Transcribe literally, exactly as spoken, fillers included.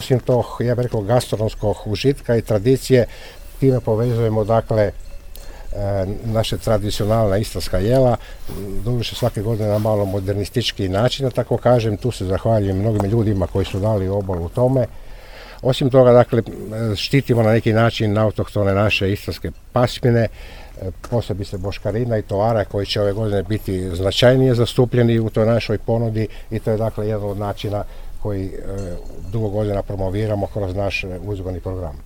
Osim tog, ja bih rekao, gastronomskog užitka i tradicije, time povezujemo dakle naše tradicionalna istarska jela, doduše svake godine na malo modernistički način, da tako kažem. Tu se zahvaljujem mnogim ljudima koji su dali obol u tome. Osim toga, dakle, štitimo na neki način autohtone naše istarske pasmine, posebice boškarina i tovara koji će ove godine biti značajnije zastupljeni u toj našoj ponudi i to je dakle jedan od načina koji dugo godina promoviramo kroz naš uzgojni program.